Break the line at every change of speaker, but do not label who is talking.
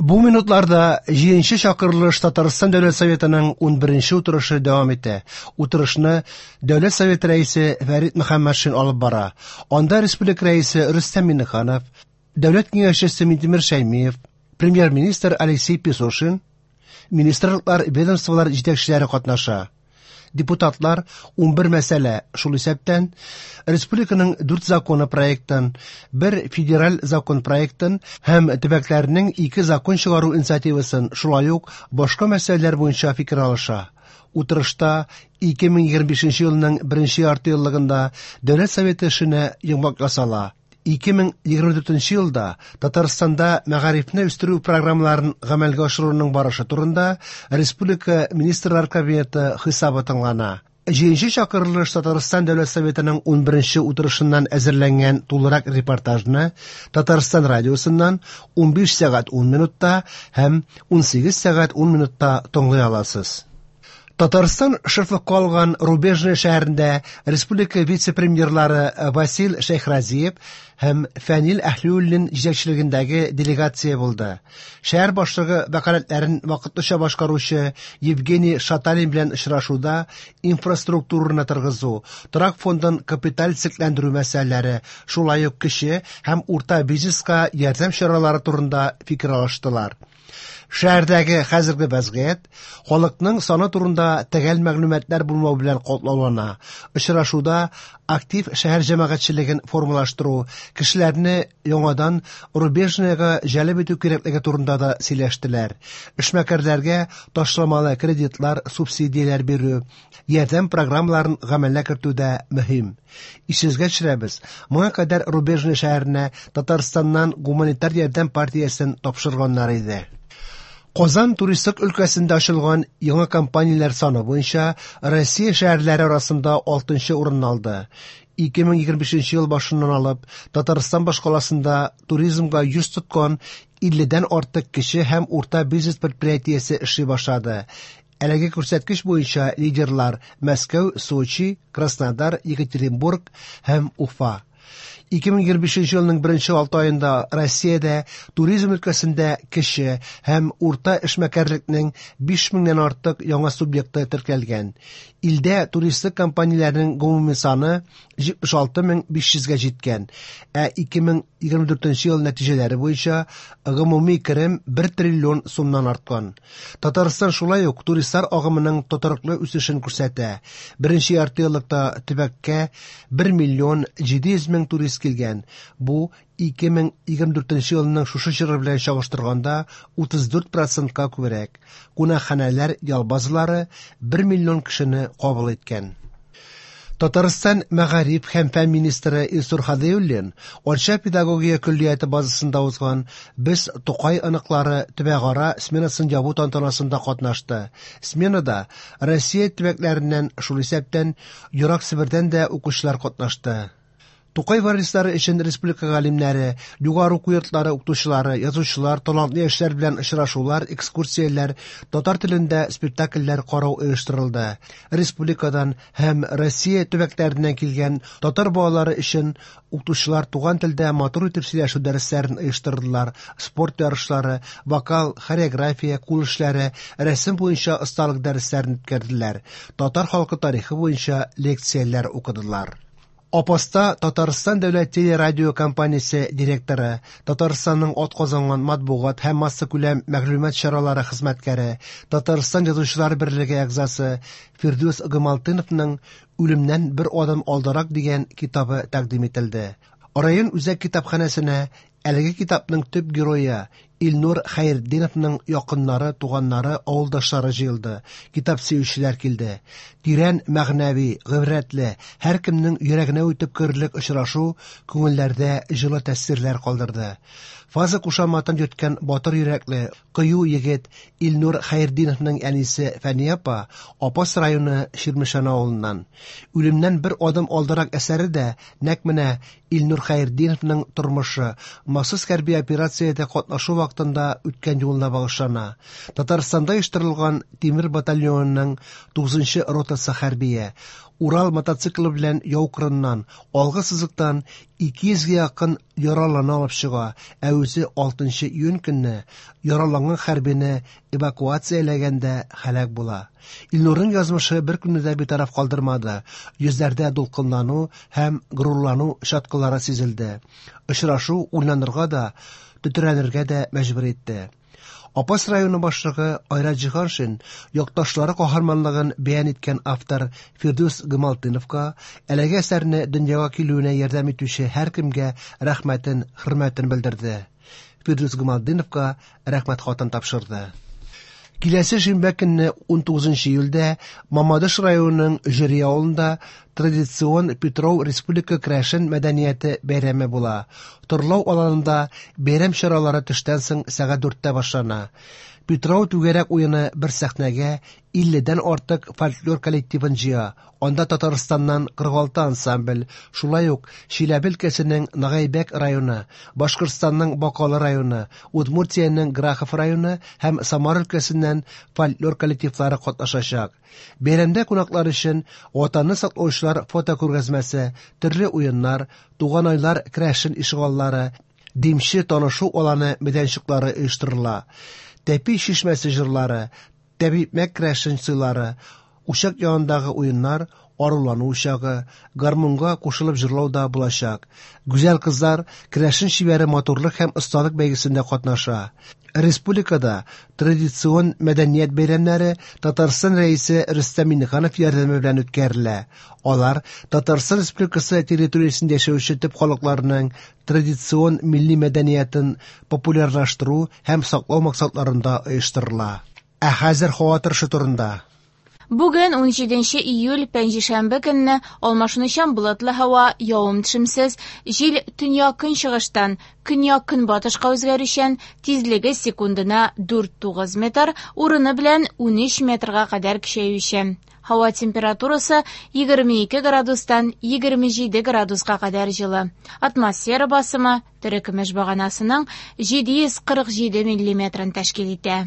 Бу минутларда җиденче чакырылыш Татарстан Дәүләт Советының 11нче утырышы дәвам итә. Утырышны Дәүләт Советы рәисе Фәрит Мөхәммәтшин алып бара. Анда республика рәисе Рөстәм Миңнеханов, Дәүләт киңәшчесе Минтимер Шәймиев, премьер-министр Алексей Песошин, министрлыклар, ведомстволар җитәкчеләре катнаша. Депутатлар 11 мәсьәлә, шул исәптән республиканың 4 законы проектын, бер федераль закон проектын һәм төбәкләрнең 2 закон чыгару инициативасын, шулай ук башка мәсьәләләр буенча фикер алыша. Утырышта 2025 елның беренче яртыеллыгында Дәүләт Советы эшенә йомгак ясала. 2024 елда Татарстанда мәгарифне үстерү программаларын гамәлгә ашыруның барышы турында Республика Министрлар Кабинеты хисабы тыңлана. Җиденче чакырылыш Татарстан Дәүләт Советының 11нче утырышыннан әзерләнгән тулырак репортажны Татарстан радиосыннан 15 сәгать 10 минутта һәм 18 сәгать 10 минутта тыңлый аласыз. Татарстан шефлыкка алган Рубежное шәһәрендә республика вице-премьерлары Васил Шәйхразиев һәм Фәнил Әһлиуллин җитәкчелегендәге делегация булды. Шәһәр башлыгы вәкаләтләрен вакытлыча башкаручы Евгений Шаталин белән очрашуда инфраструктураны торгызу, торак фондын капиталь төзекләндерү мәсьәләләре, шулай ук кече һәм урта бизнеска ярдәм чаралары турында фикер алыштылар. Шәһәрдәге хәзерге вәзгыять халыкның саны турында төгәл мәгълүматлар булмау белән катлаулана. Очрашуда актив шәһәр җәмәгатьчелеген формалаштыру, кешеләрне яңадан Рубежныйга җәлеп итү кирәклеге турында да сөйләштеләр. Эшмәкәрләргә ташламалы кредитлар, субсидияләр бирү, ярдәм программаларын гамәлгә кертү дә мөһим. Исегезгә төшерәбез, моңа кадәр Рубежный шәһәренә Татарстаннан гуманитар ярдәм партиясен тапшырганнар иде. Казан туристлык өлкәсендә ачылган яңа компанияләр саны буенча Россия шәһәрләре арасында 6нчы урынны алды. 2025 ел башыннан алып Татарстан башкаласында туризмга йөз тоткан 50дән артык кече һәм урта бизнес предприятиесе эшли башлады. Әлеге күрсәткеч буенча лидерлар Мәскәү, Сочи, Краснодар, Екатеринбург һәм Уфа. 2025 елның беренче 6 аенда Россиядә туризм өлкәсендә кече һәм урта эшмәкәрлекнең 5000-нән артык яңа субъекты теркәлгән. Илдә туристлык компанияләренең гомуми саны 76500-гә җиткән, ә 2024 ел нәтиҗәләре буенча гомуми керем 1 триллион сумнан арткан. Татарстан шулай ук туристлар агымының тотрыклы үсешен күрсәтә. Беренче яртыеллыкта төбәккә 1 миллион 700 мең турист килгән. Бу 2024 елның шушы чоры белән чагыштырганда 34%-ка күбрәк. Кунакханәләр, ял базалары 1 миллион кешене кабул иткән. Татарстан мәгариф һәм фән министры Илсур Һадиуллин Арча педагогия көллияте базасында узган Без Тукай оныклары төбәкара сменасын ябу тантанасында катнашты. Сменада Россия төбәкләреннән, шул исәптән Ерак Себердән дә укучылар катнашты. Тукай варислары өчен республика галимнәре, югары уку йортлары укытучылары, язучылар, талантлы яшьләр белән очрашулар, экскурсияләр, татар телендә спектакльләр карау оештырылды. Республикадан һәм Россия төбәкләреннән килгән татар балалары өчен укытучылар туган телдә матур итеп сөйләшү дәресләрен оештырдылар, спорт ярышлары, вокал, хореография, кул эшләре, рәсем буенча осталык дәресләрен үткәрделәр, татар халкы тарихы буенча лекцияләр укыдылар. Апаста Татарстан дәүләт телерадио компаниясе директоры, Татарстанның атказанган матбугат һәм массакүләм мәгълүмат чаралары хезмәткәре, Татарстан Язучылар берлеге әгъзасы Фирдүс Гамалтыновның Үлемнән бер адым алдарак дигән китабы тәкъдим ителде. Район үзәк китапханәсенә әлеге китапның төп герое Илнур Хәйретдиновның якыннары, туганнары, авылдашлары җыелды, китап сөючеләр килде. Тирән мәгънәви, гыйбрәтле, һәркемнең йөрәгенә үтеп керерлек очрашу күңелләрдә җылы тәэсирләр калдырды. Фаза кушаматын йөрткән батыр йөрәкле, кыю егет Илнур Хәйретдиновның әнисе Фәния апа Апас районы Чирмешән авылыннан. Үлемнән бер адым алдарак әсәре дә нәкъ менә Илнур Хәйретдиновның тормышы, махсус хәрби операциядә катнашу вакытында үткән юлына багышлана. Татарстанда оештырылган Тимер батальонының 9нчы ротасы хәрбие Урал мотоциклы белән яу кырыннан, алгы сызыктан 200 гә якын яралыны алып чыга, ә үзе 6 июнь көнне яраланган хәрбине эвакуацияләгәндә һәлак була. Илнурның язмышы беркемне дә битараф калдырмады. Йөзләрдә дулкынлану һәм горурлану чаткылары сизелде. Очрашу уйланырга да, тетрәнергә дә мәҗбүр итте. Апас районы башлыгы Айрат Җиһаншин якташлары каһарманлыгын бәян иткән автор Фирдүс Гамалтдиновка, әлеге әсәрне дөньяга килүенә ярдәм итүче һәркемгә рәхмәтен, хөрмәтен белдерде. Фирдүс Гамалтдиновка рәхмәт хатын тапшырды. Киләсе шимбә көнне 19 июльдә Мамадыш районының Җөри авылында традицион Питрау республика керәшен мәдәнияте бәйрәме була. Торлау аланында бәйрәм чаралары төштән соң сәгать 4тә башлана. Питрау түгәрәк уены бер сәхнәгә 50дән артык фольклор коллективын җыя. Анда Татарстаннан 46 ансамбль, шулай ук Чиләбе өлкәсенең Нагайбәк районы, Башкортстанның Бакалы районы, Удмуртиянең Грахов районы һәм Самара өлкәсеннән фольклор коллективлары катнашачак. Бәйрәмдә кунаклар өчен Ватанны саклаучылар фотокүргәзмәсе, төрле уеннар, Туганайлар керәшен ишегаллары, Димче танышу аланы мәйданчыклары оештырыла. Тәпи чишмәсе җырлары, тәбикмәк керәшен сыйлары, учак янындагы уеннар, арулану учагы, гармунга кушылып җырлау да булачак. Гүзәл кызлар керәшен чибәре матурлык һәм осталык бәйгесендә катнаша. Республикада традицион мәдәният бәйрәмнәре Татарстан Рәисе Рөстәм Миңнеханов ярдәме белән үткәрелә. Алар Татарстан Республикасы территориясендә яшәүче төп халыкларның традицион милли мәдәниятен популярлаштыру һәм саклау максатларында оештырыла. Ә хәзер һава торышы турында.
Бүген 17 июль пәнҗешәмбе көнне алмашынучан болытлы һава, явым-төшемсез, җил төньяк-көнчыгыштан көньяк-көнбатышка үзгәрүчән, тизлеге секундына 4-9 метр, урыны белән 13 метрга кадәр көчәючән. Һава температурасы 22 градустан 27 градуска кадәр җылы. Атмосфера басымы терекөмеш баганасының 747 миллиметрын тәшкил итә.